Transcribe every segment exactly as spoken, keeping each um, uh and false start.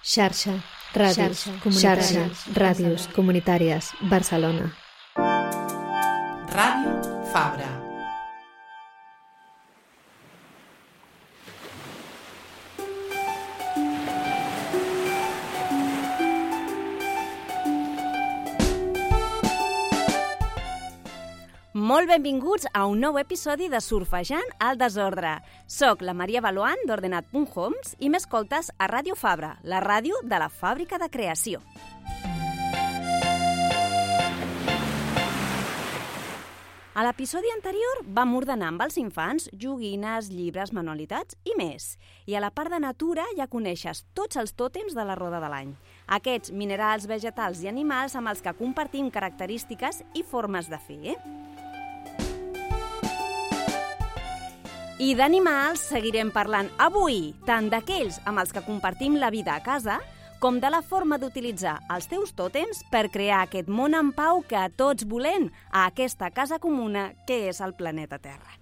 Xarxa, ràdios, xarxa, ràdios comunitàries, Barcelona. Ràdio Fabra. Molt benvinguts a un nou episodi de Surfejant al desordre. Soc la Maria Baloan d'Ordenat punt homes i m'escoltes a Ràdio Fabra, la ràdio de la fàbrica de creació. A l'episodi anterior vam ordenar amb els infants joguines, llibres, manualitats i més. I a la part de natura ja coneixes tots els tòtems de la roda de l'any. Aquests minerals, vegetals i animals amb els que compartim característiques i formes de fer, eh? I d'animals seguirem parlant avui, tant d'aquells amb els que compartim la vida a casa, com de la forma d'utilitzar els teus tòtems per crear aquest món en pau que tots volem a aquesta casa comuna que és el planeta Terra.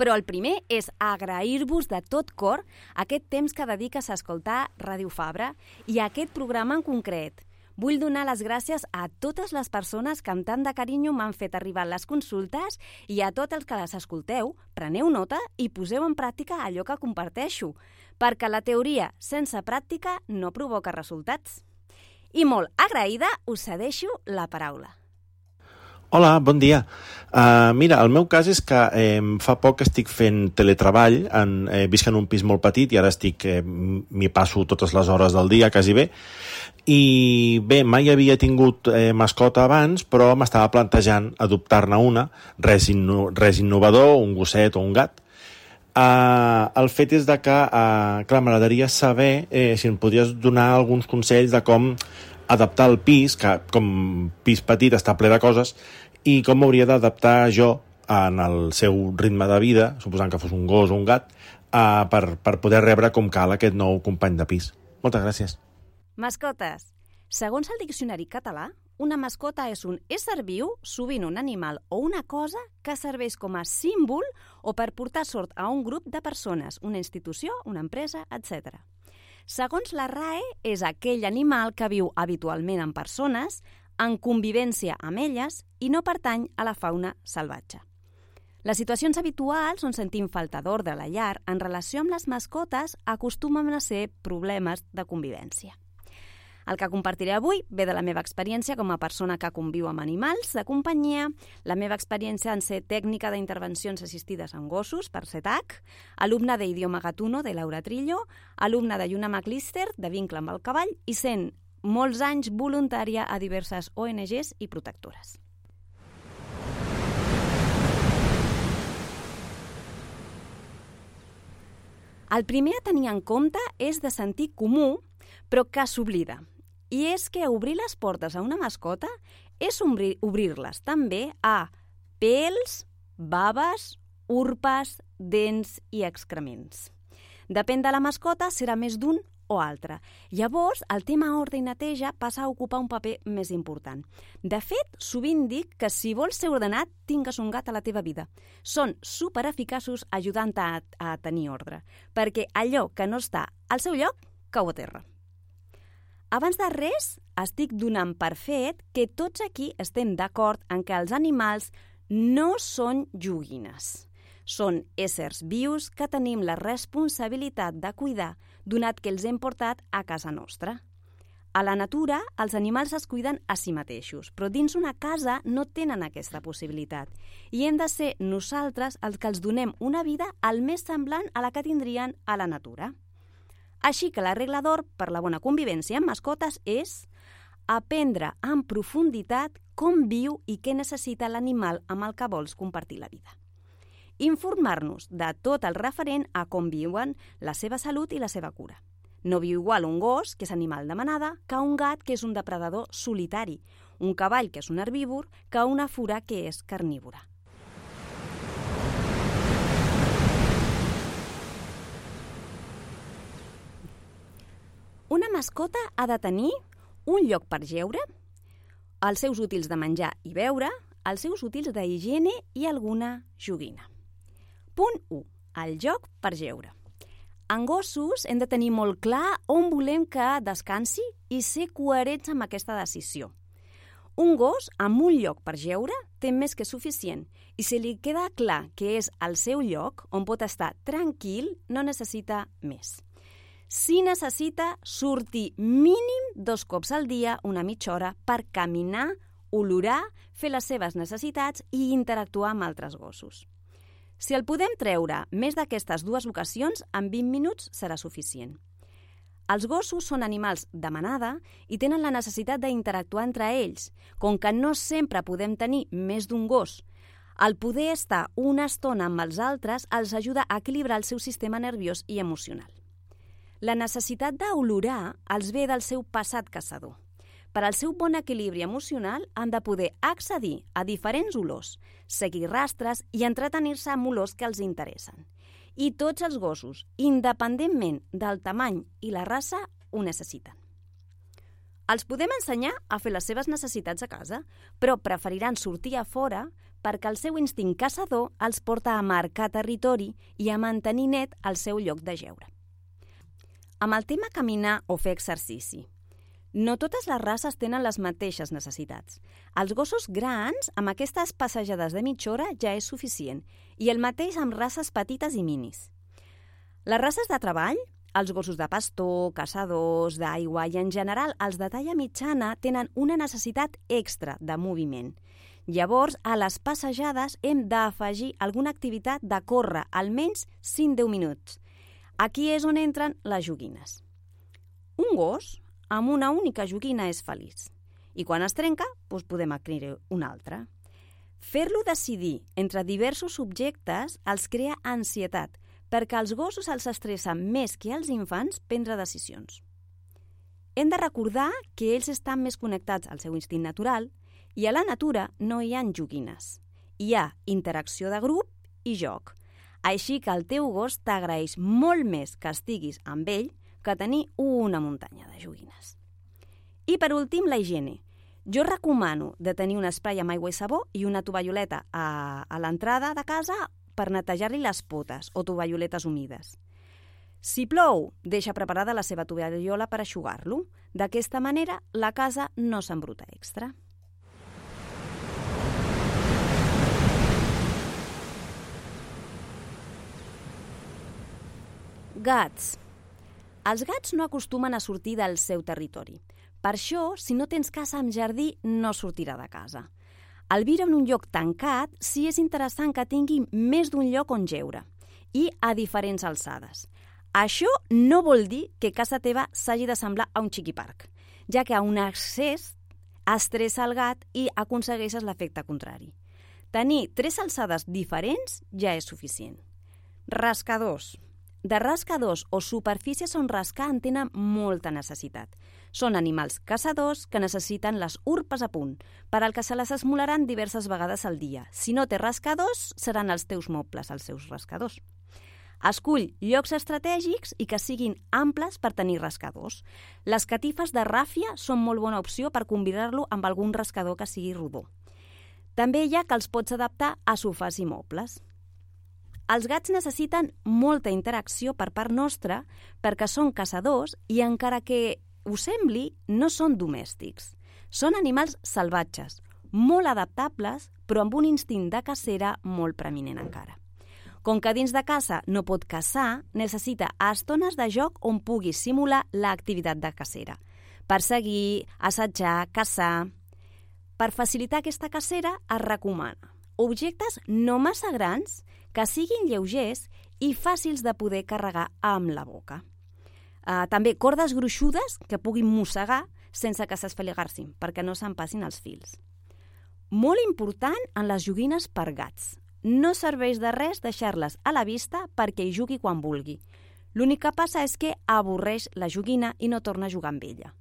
Però el primer és agrair-vos de tot cor aquest temps que dediques a escoltar Ràdio Fabra i a aquest programa en concret. Vull donar les gràcies a totes les persones que amb tant de carinyo m'han fet arribar les consultes i a tots els que les escolteu, preneu nota i poseu en pràctica allò que comparteixo, perquè la teoria sense pràctica no provoca resultats. I molt agraïda, us cedeixo la paraula. Hola, bon dia. Uh, mira, el meu cas és que eh, fa poc estic fent teletreball, en, eh, visc en un pis molt petit i ara estic, eh, m'hi passo totes les hores del dia, quasi bé. I bé, mai havia tingut eh, mascota abans, però m'estava plantejant adoptar-ne una, res, inno res innovador, un gosset o un gat. Uh, el fet és de que, uh, clar, m'agradaria saber eh, si em podries donar alguns consells de com adaptar el pis, que com pis petit està ple de coses, i com m'hauria d'adaptar jo en el seu ritme de vida, suposant que fos un gos o un gat, uh, per, per poder rebre com cal aquest nou company de pis. Moltes gràcies. Mascotes. Segons el diccionari català, una mascota és un ésser viu, sovint un animal o una cosa que serveix com a símbol o per portar sort a un grup de persones, una institució, una empresa, etcètera. Segons la R A E, és aquell animal que viu habitualment amb persones, en convivència amb elles i no pertany a la fauna salvatge. Les situacions habituals on sentim falta d'ordre a la llar en relació amb les mascotes acostumen a ser problemes de convivència. El que compartiré avui ve de la meva experiència com a persona que conviu amb animals de companyia, la meva experiència en ser tècnica d'intervencions assistides amb gossos, per C E T A C, alumna d'idioma gatuno de Laura Trillo, alumna de Lluna McLister, de vincle amb el cavall, i sent molts anys voluntària a diverses O N Ges i protectores. El primer a tenir en compte és de sentit comú, però que s'oblida. I és que obrir les portes a una mascota és obrir-les també a pèls, baves, urpes, dents i excrements. Depèn de la mascota, serà més d'un o altre. Llavors, el tema ordre i neteja passa a ocupar un paper més important. De fet, sovint dic que si vols ser ordenat, tingues un gat a la teva vida. Són supereficaços ajudant-te a, a tenir ordre, perquè allò que no està al seu lloc cau a terra. Abans de res, estic donant per fet que tots aquí estem d'acord en que els animals no són joguines. Són éssers vius que tenim la responsabilitat de cuidar, donat que els hem portat a casa nostra. A la natura, els animals es cuiden a si mateixos, però dins una casa no tenen aquesta possibilitat. I hem de ser nosaltres els que els donem una vida el més semblant a la que tindrien a la natura. Així que la regla d'or per la bona convivència amb mascotes és aprendre en profunditat com viu i què necessita l'animal amb el que vols compartir la vida. Informar-nos de tot el referent a com viuen, la seva salut i la seva cura. No viu igual un gos, que és animal de manada, que un gat, que és un depredador solitari, un cavall, que és un herbívor, que una fura, que és carnívora. Una mascota ha de tenir un lloc per jeure, els seus útils de menjar i beure, els seus útils d'higiene i alguna joguina. Punt u. El joc per jeure. En gossos hem de tenir molt clar on volem que descansi i ser coherents amb aquesta decisió. Un gos amb un lloc per jeure té més que suficient i si li queda clar que és el seu lloc on pot estar tranquil, no necessita més. Si necessita sortir mínim dos cops al dia, una mitja hora, per caminar, olorar, fer les seves necessitats i interactuar amb altres gossos. Si el podem treure més d'aquestes dues ocasions, en vint minuts serà suficient. Els gossos són animals de manada i tenen la necessitat d'interactuar entre ells. Com que no sempre podem tenir més d'un gos, el poder estar una estona amb els altres els ajuda a equilibrar el seu sistema nerviós i emocional. La necessitat d'olorar els ve del seu passat caçador. Per al seu bon equilibri emocional han de poder accedir a diferents olors, seguir rastres i entretenir-se amb olors que els interessen. I tots els gossos, independentment del tamany i la raça, ho necessiten. Els podem ensenyar a fer les seves necessitats a casa, però preferiran sortir a fora perquè el seu instint caçador els porta a marcar territori i a mantenir net el seu lloc de jeure. Amb el tema caminar o fer exercici, no totes les races tenen les mateixes necessitats. Els gossos grans, amb aquestes passejades de mitja hora, ja és suficient, i el mateix amb races petites i minis. Les races de treball, els gossos de pastor, caçadors, d'aigua i, en general, els de talla mitjana tenen una necessitat extra de moviment. Llavors, a les passejades hem d'afegir alguna activitat de córrer almenys cinc a deu minuts. Aquí és on entren les joguines. Un gos amb una única joguina és feliç. I quan es trenca, doncs podem adquirir una altra. Fer-lo decidir entre diversos objectes els crea ansietat, perquè als gossos els estressa més que als infants prendre decisions. Hem de recordar que ells estan més connectats al seu instint natural i a la natura no hi ha joguines. Hi ha interacció de grup i joc. Així que el teu gos t'agraeix molt més que estiguis amb ell que tenir una muntanya de joguines. I per últim, la higiene. Jo recomano de tenir un esprai amb aigua i sabó i una tovalloleta a, a l'entrada de casa per netejar-li les potes o tovalloletes humides. Si plou, deixa preparada la seva tovallola per eixugar-lo. D'aquesta manera, la casa no s'embruta extra. Gats. Els gats no acostumen a sortir del seu territori. Per això, si no tens casa amb jardí, no sortirà de casa. Al viure en un lloc tancat, sí és interessant que tingui més d'un lloc on jeure i a diferents alçades. Això no vol dir que casa teva s'hagi de semblar a un xiquiparc, ja que a un accés estressa el gat i aconsegueixes l'efecte contrari. Tenir tres alçades diferents ja és suficient. Rascadors. De rascadors o superfícies on rascar en tenen molta necessitat. Són animals caçadors que necessiten les urpes a punt, per al que se les esmolaran diverses vegades al dia. Si no té rascadors, seran els teus mobles els seus rascadors. Escull llocs estratègics i que siguin amples per tenir rascadors. Les catifes de ràfia són molt bona opció per combinar-lo amb algun rascador que sigui rodó. També hi ha que els pots adaptar a sofàs i mobles. Els gats necessiten molta interacció per part nostra perquè són caçadors i, encara que us sembli, no són domèstics. Són animals salvatges, molt adaptables, però amb un instint de cacera molt preeminent encara. Com que dins de casa no pot caçar, necessita estones de joc on pugui simular l'activitat de cacera. Perseguir, assajar, caçar. Per facilitar aquesta cacera es recomana objectes no massa grans, que siguin lleugers i fàcils de poder carregar amb la boca. Uh, també cordes gruixudes que puguin mossegar sense que s'esfeligar-sin, perquè no se'n passin els fils. Molt important en les joguines per gats. No serveix de res deixar-les a la vista perquè hi jugui quan vulgui. L'únic que passa és que avorreix la joguina i no torna a jugar amb ella.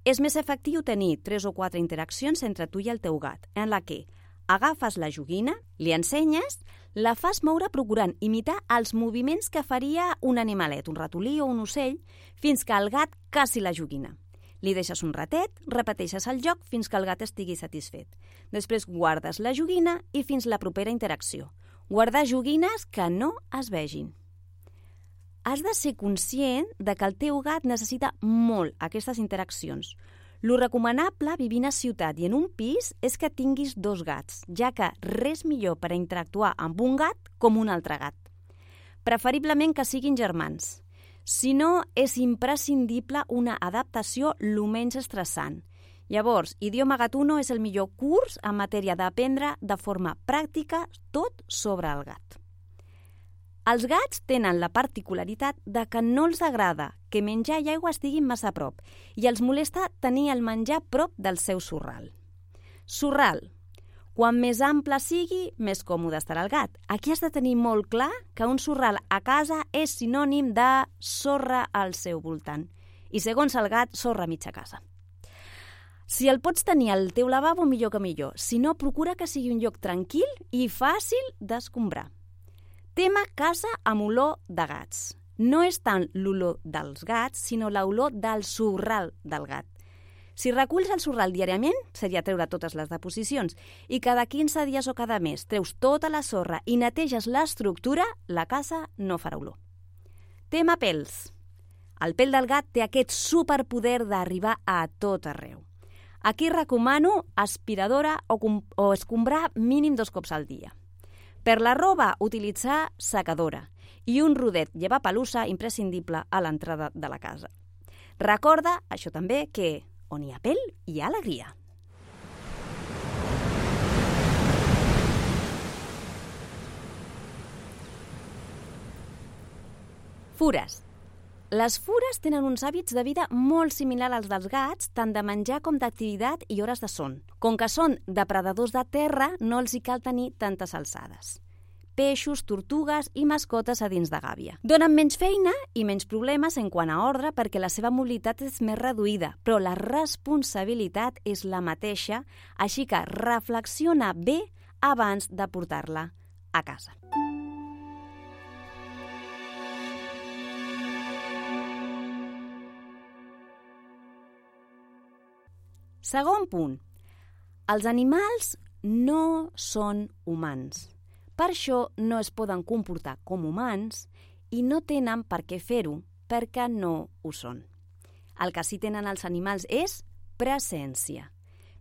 És més efectiu tenir tres o quatre interaccions entre tu i el teu gat, en la que agafes la joguina, li ensenyes, la fas moure procurant imitar els moviments que faria un animalet, un ratolí o un ocell, fins que el gat caci la joguina. Li deixes un ratet, repeteixes el joc fins que el gat estigui satisfet. Després guardes la joguina i fins la propera interacció. Guardar joguines que no es vegin. has de ser conscient de que el teu gat necessita molt aquestes interaccions. Lo recomanable vivint a ciutat i en un pis és que tinguis dos gats, ja que res millor per a interactuar amb un gat com un altre gat. Preferiblement que siguin germans. Si no, és imprescindible una adaptació lo menys estressant. Llavors, Idioma Gatuno és el millor curs en matèria d'aprendre de forma pràctica tot sobre el gat. Els gats tenen la particularitat de que no els agrada que menjar i aigua estiguin massa a prop i els molesta tenir el menjar prop del seu sorral. Sorral. Quan més ample sigui, més còmode estarà el gat. Aquí has de tenir molt clar que un sorral a casa és sinònim de sorra al seu voltant. I segons el gat, sorra a mitja casa. Si el pots tenir al teu lavabo, millor que millor. Si no, procura que sigui un lloc tranquil i fàcil d'escombrar. Tema casa amb olor de gats. No és tant l'olor dels gats, sinó l'olor del sorral del gat. Si reculls el sorral diàriament, seria treure totes les deposicions, i cada quinze dies o cada mes treus tota la sorra i neteges l'estructura, la casa no farà olor. Tema pèls. El pèl del gat té aquest superpoder d'arribar a tot arreu. Aquí recomano aspiradora o, o escombrar mínim dos cops al dia. Per la roba, utilitzar secadora i un rodet llevapelussa imprescindible a l'entrada de la casa. Recorda, això també, que on hi ha pèl, hi ha alegria. Fures. Les fures tenen uns hàbits de vida molt similars als dels gats, tant de menjar com d'activitat i hores de son. Com que són depredadors de terra, no els hi cal tenir tantes alçades. Peixos, tortugues i mascotes a dins de gàbia. Donen menys feina i menys problemes en quant a ordre perquè la seva mobilitat és més reduïda, però la responsabilitat és la mateixa, així que reflexiona bé abans de portar-la a casa. Segon punt. Els animals no són humans. Per això no es poden comportar com humans i no tenen per què fer-ho perquè no ho són. El que sí tenen els animals és presència.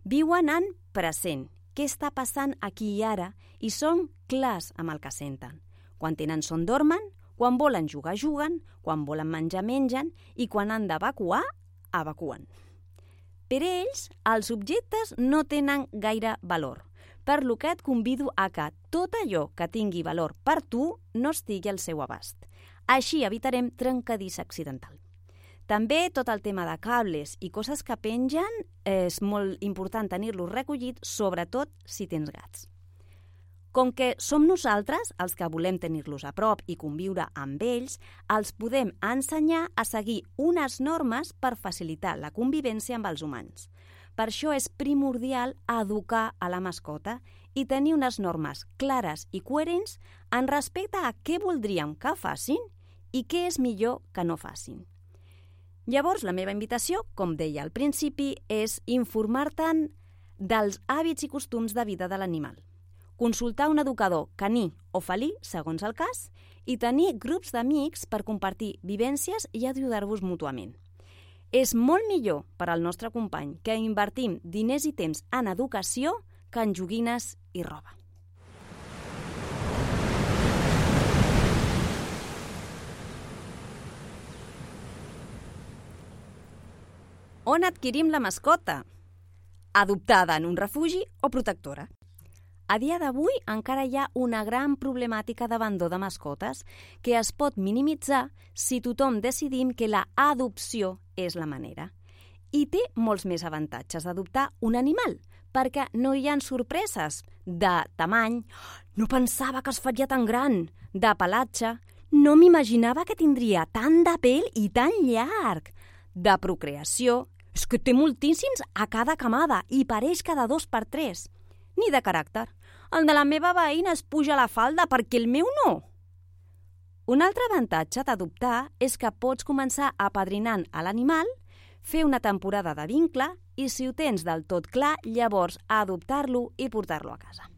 Viuen en present, què està passant aquí i ara, i són clars amb el que senten. Quan tenen son dormen, quan volen jugar juguen, quan volen menjar mengen i quan han d'evacuar, evacuen. Per ells, els objectes no tenen gaire valor, per lo que et convido a que tot allò que tingui valor per tu no estigui al seu abast. Així evitarem trencadís accidental. També tot el tema de cables i coses que pengen és molt important tenir-los recollit, sobretot si tens gats. Com que som nosaltres els que volem tenir-los a prop i conviure amb ells, els podem ensenyar a seguir unes normes per facilitar la convivència amb els humans. Per això és primordial educar a la mascota i tenir unes normes clares i coherents en respecte a què voldríem que facin i què és millor que no facin. Llavors, la meva invitació, com deia al principi, és informar-te'n dels hàbits i costums de vida de l'animal. Consultar un educador caní o felí, segons el cas, i tenir grups d'amics per compartir vivències i ajudar-vos mútuament. És molt millor per al nostre company que invertim diners i temps en educació que en joguines i roba. On adquirim la mascota? Adoptada en un refugi o protectora? A dia d'avui encara hi ha una gran problemàtica d'abandó de mascotes que es pot minimitzar si tothom decidim que la adopció és la manera. I té molts més avantatges d'adoptar un animal, perquè no hi ha sorpreses de tamany, no pensava que es faria tan gran, de pelatge, no m'imaginava que tindria tant de pèl i tan llarg, de procreació, és que té moltíssims a cada camada i pareix cada dos per tres, ni de caràcter. El de la meva veïna es puja la falda perquè el meu no. Un altre avantatge d'adoptar és que pots començar apadrinant a l'animal, fer una temporada de vincle i, si ho tens del tot clar, llavors adoptar-lo i portar-lo a casa.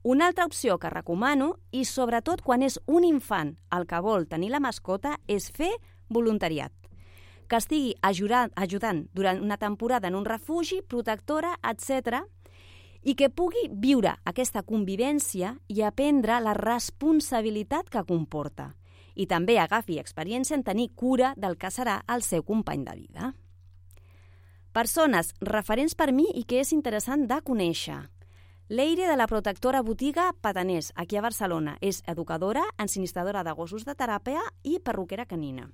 Una altra opció que recomano, i sobretot quan és un infant el que vol tenir la mascota, és fer voluntariat. Que estigui ajudant durant una temporada en un refugi, protectora, etcètera, i que pugui viure aquesta convivència i aprendre la responsabilitat que comporta. I també agafi experiència en tenir cura del que serà el seu company de vida. Persones referents per mi i que és interessant de conèixer. Leire, de la protectora botiga Pataners, aquí a Barcelona. És educadora, ensinistradora de gossos de teràpia i perruquera canina.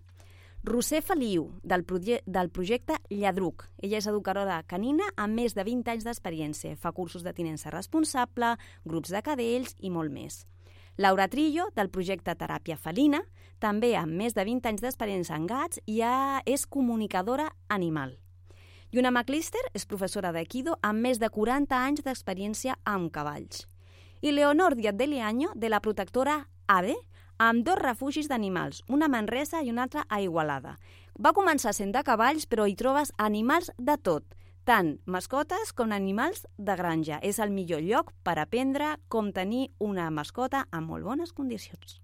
Roser Feliu, del, proje del projecte Lladruc. Ella és educadora canina amb més de vint anys d'experiència. Fa cursos de tinença responsable, grups de cadells i molt més. Laura Trillo, del projecte Teràpia Felina, també amb més de vint anys d'experiència en gats i ja és comunicadora animal. Lluna McLister és professora d'Aikido amb més de quaranta anys d'experiència amb cavalls. I Leonor Díaz de Leaño, de la protectora AVE, amb dos refugis d'animals, una a Manresa i una altra a Igualada. Va començar sent de cavalls, però hi trobes animals de tot, tant mascotes com animals de granja. És el millor lloc per aprendre com tenir una mascota en molt bones condicions.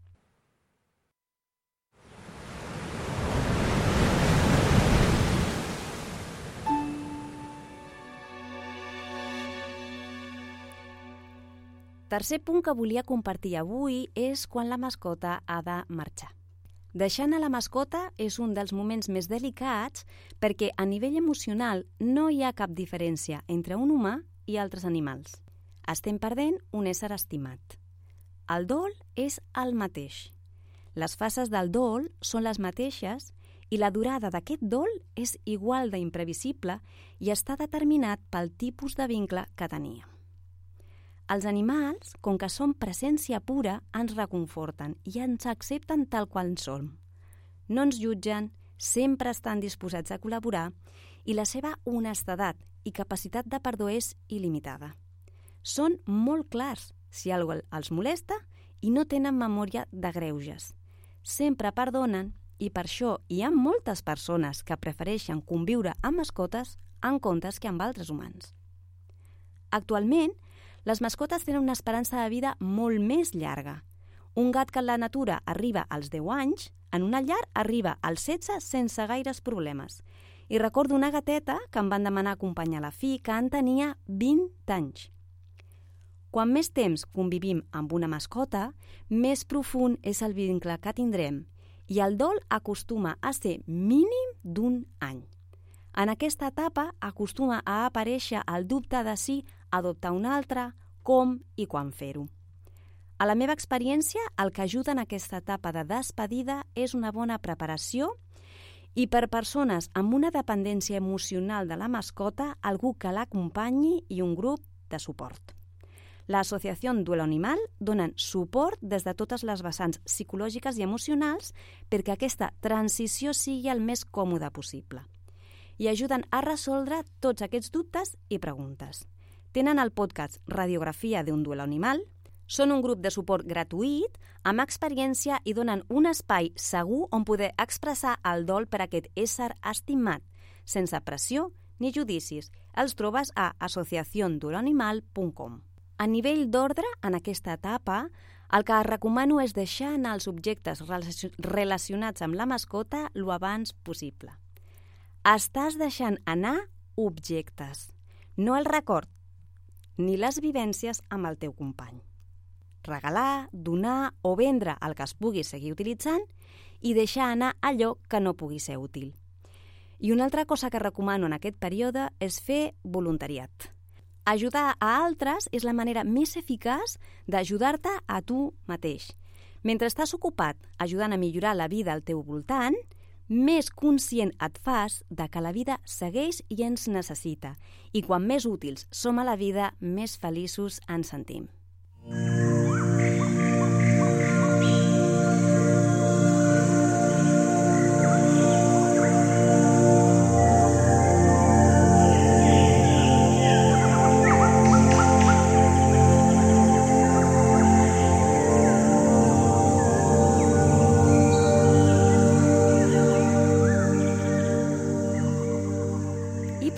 Tercer punt que volia compartir avui és quan la mascota ha de marxar. Deixar anar la mascota és un dels moments més delicats perquè a nivell emocional no hi ha cap diferència entre un humà i altres animals. Estem perdent un ésser estimat. El dol és el mateix. Les fases del dol són les mateixes i la durada d'aquest dol és igual d'imprevisible i està determinat pel tipus de vincle que teníem. Els animals, com que són presència pura, ens reconforten i ens accepten tal qual som. No ens jutgen, sempre estan disposats a col·laborar i la seva honestedat i capacitat de perdó és il·limitada. Són molt clars si alguna cosa els molesta i no tenen memòria de greuges. Sempre perdonen i per això hi ha moltes persones que prefereixen conviure amb mascotes en comptes que amb altres humans. Actualment, les mascotes tenen una esperança de vida molt més llarga. Un gat que en la natura arriba als deu anys, en una llar arriba als setze sense gaires problemes. I recordo una gateta que em van demanar acompanyar la fi que en tenia vint anys. Quan més temps convivim amb una mascota, més profund és el vincle que tindrem i el dol acostuma a ser mínim d'un any. En aquesta etapa acostuma a aparèixer el dubte de si adoptar un altre, com i quan fer-ho. A la meva experiència, el que ajuda en aquesta etapa de despedida és una bona preparació i per persones amb una dependència emocional de la mascota, algú que l'acompanyi i un grup de suport. L'Associació Duelo Animal donen suport des de totes les vessants psicològiques i emocionals perquè aquesta transició sigui el més còmode possible i ajuden a resoldre tots aquests dubtes i preguntes. Tenen el podcast Radiografia d'un Duelo Animal, són un grup de suport gratuït, amb experiència i donen un espai segur on poder expressar el dol per aquest ésser estimat, sense pressió ni judicis. Els trobes a asociación duelo animal punt com. A nivell d'ordre, en aquesta etapa, el que recomano és deixar anar els objectes relacionats amb la mascota lo abans possible. Estàs deixant anar objectes, no el record, ni les vivències amb el teu company. Regalar, donar o vendre el que es pugui seguir utilitzant i deixar anar allò que no pugui ser útil. I una altra cosa que recomano en aquest període és fer voluntariat. Ajudar a altres és la manera més eficaç d'ajudar-te a tu mateix. Mentre estàs ocupat ajudant a millorar la vida al teu voltant, més conscient et fas de que la vida segueix i ens necessita. I quan més útils som a la vida, més feliços ens sentim.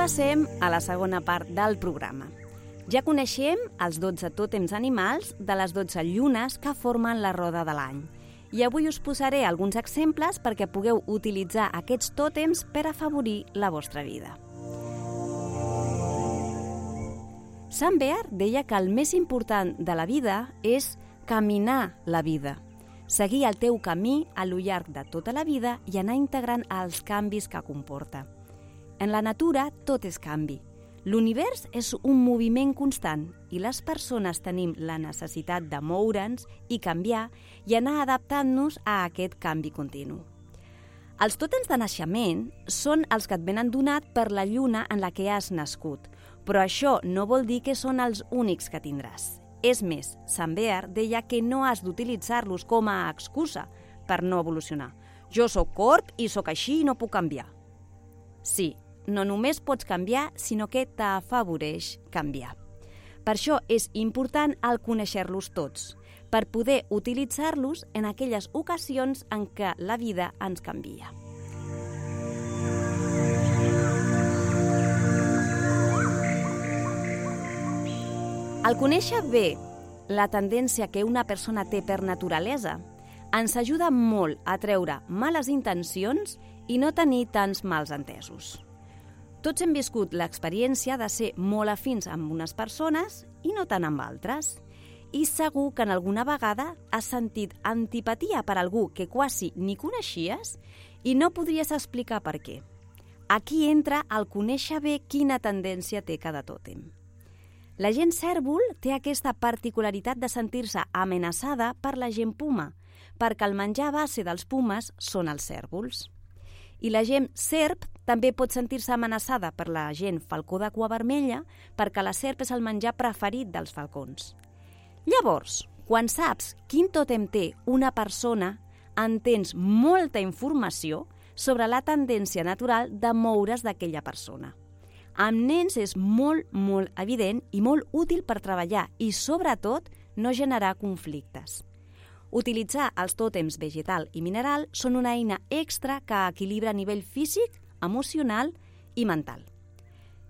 Passem a la segona part del programa. Ja coneixem els dotze tòtems animals de les dotze llunes que formen la roda de l'any. I avui us posaré alguns exemples perquè pugueu utilitzar aquests tòtems per afavorir la vostra vida. Sant Bear deia que el més important de la vida és caminar la vida, seguir el teu camí a lo llarg de tota la vida i anar integrant els canvis que comporta. En la natura tot és canvi. L'univers és un moviment constant i les persones tenim la necessitat de moure'ns i canviar i anar adaptant-nos a aquest canvi continu. Els tòtems de naixement són els que et venen donat per la lluna en la que has nascut, però això no vol dir que són els únics que tindràs. És més, Sant Bear deia que no has d'utilitzar-los com a excusa per no evolucionar. Jo sóc corb i sóc així i no puc canviar. Sí, no només pots canviar, sinó que t'afavoreix canviar. Per això és important el conèixer-los tots, per poder utilitzar-los en aquelles ocasions en què la vida ens canvia. El conèixer bé la tendència que una persona té per naturalesa ens ajuda molt a treure males intencions i no tenir tants mals entesos. Tots hem viscut l'experiència de ser molt afins amb unes persones i no tant amb altres. I segur que en alguna vegada has sentit antipatia per algú que quasi ni coneixies i no podries explicar per què. Aquí entra el conèixer bé quina tendència té cada tòtem. La gent cérvol té aquesta particularitat de sentir-se amenaçada per la gent puma, perquè el menjar base dels pumes són els cérvols. I la gent serp també pot sentir-se amenaçada per la gent falcó de cua vermella perquè la serp és el menjar preferit dels falcons. Llavors, quan saps quin tòtem té una persona, entens molta informació sobre la tendència natural de moure's d'aquella persona. Amb nens és molt, molt evident i molt útil per treballar i, sobretot, no generar conflictes. Utilitzar els tòtems vegetal i mineral són una eina extra que equilibra a nivell físic, emocional i mental.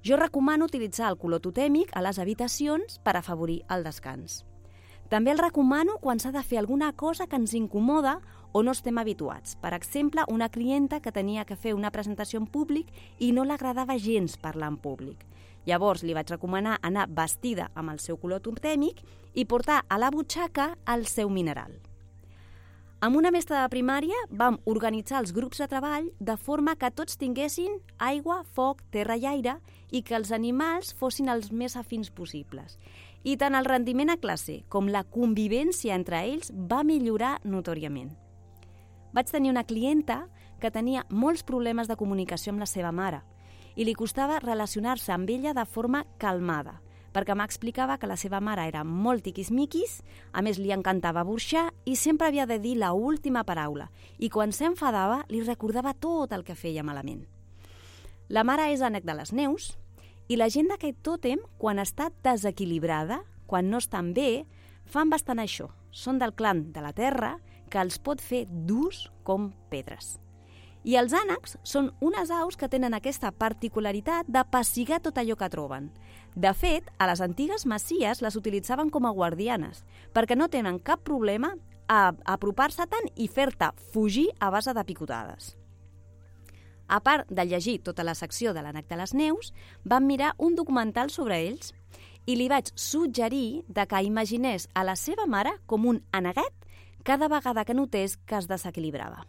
Jo recomano utilitzar el color totèmic a les habitacions per afavorir el descans. També el recomano quan s'ha de fer alguna cosa que ens incomoda o no estem habituats. Per exemple, una clienta que tenia que fer una presentació en públic i no l'agradava gens parlar en públic. Llavors li vaig recomanar anar vestida amb el seu color totèmic i portar a la butxaca el seu mineral. Amb una mestra de primària vam organitzar els grups de treball de forma que tots tinguessin aigua, foc, terra i aire i que els animals fossin els més afins possibles. I tant el rendiment a classe com la convivència entre ells va millorar notòriament. Vaig tenir una clienta que tenia molts problemes de comunicació amb la seva mare i li costava relacionar-se amb ella de forma calmada, perquè m'explicava que la seva mare era molt tiquismiquis, a més li encantava burxar i sempre havia de dir l'última paraula i quan s'enfadava li recordava tot el que feia malament. La mare és ànec de les neus i la gent d'aquest tòtem, quan està desequilibrada, quan no estan bé, fan bastant això. Són del clan de la terra que els pot fer durs com pedres. I els ànecs són unes aus que tenen aquesta particularitat de pessigar tot allò que troben. De fet, a les antigues masies les utilitzaven com a guardianes, perquè no tenen cap problema a apropar-se tant i fer-te fugir a base de picotades. A part de llegir tota la secció de l'ànec de les neus, vam mirar un documental sobre ells i li vaig suggerir de que imaginés a la seva mare com un aneguet cada vegada que notés que es desequilibrava.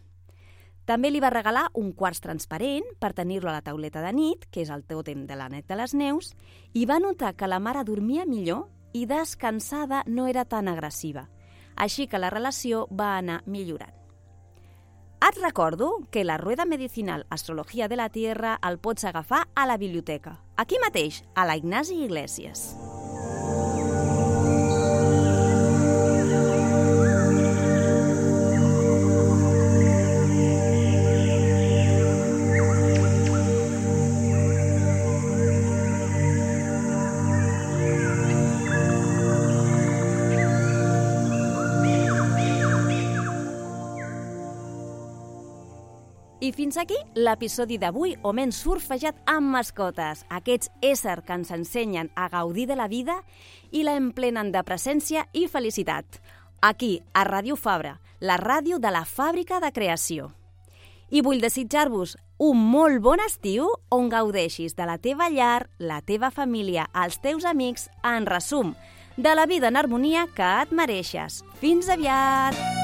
També li va regalar un quars transparent per tenir-lo a la tauleta de nit, que és el tòtem de l'ànec de les neus, i va notar que la mare dormia millor i descansada no era tan agressiva. Així que la relació va anar millorant. Et recordo que la Rueda Medicinal Astrología de la Tierra el pots agafar a la biblioteca, aquí mateix, a la Ignasi Iglesias. I fins aquí l'episodi d'avui on hem surfejat amb mascotes, aquests éssers que ens ensenyen a gaudir de la vida i la emplenen de presència i felicitat. Aquí, a Ràdio Fabra, la ràdio de la fàbrica de creació. I vull desitjar-vos un molt bon estiu on gaudeixis de la teva llar, la teva família, els teus amics, en resum, de la vida en harmonia que et mereixes. Fins aviat!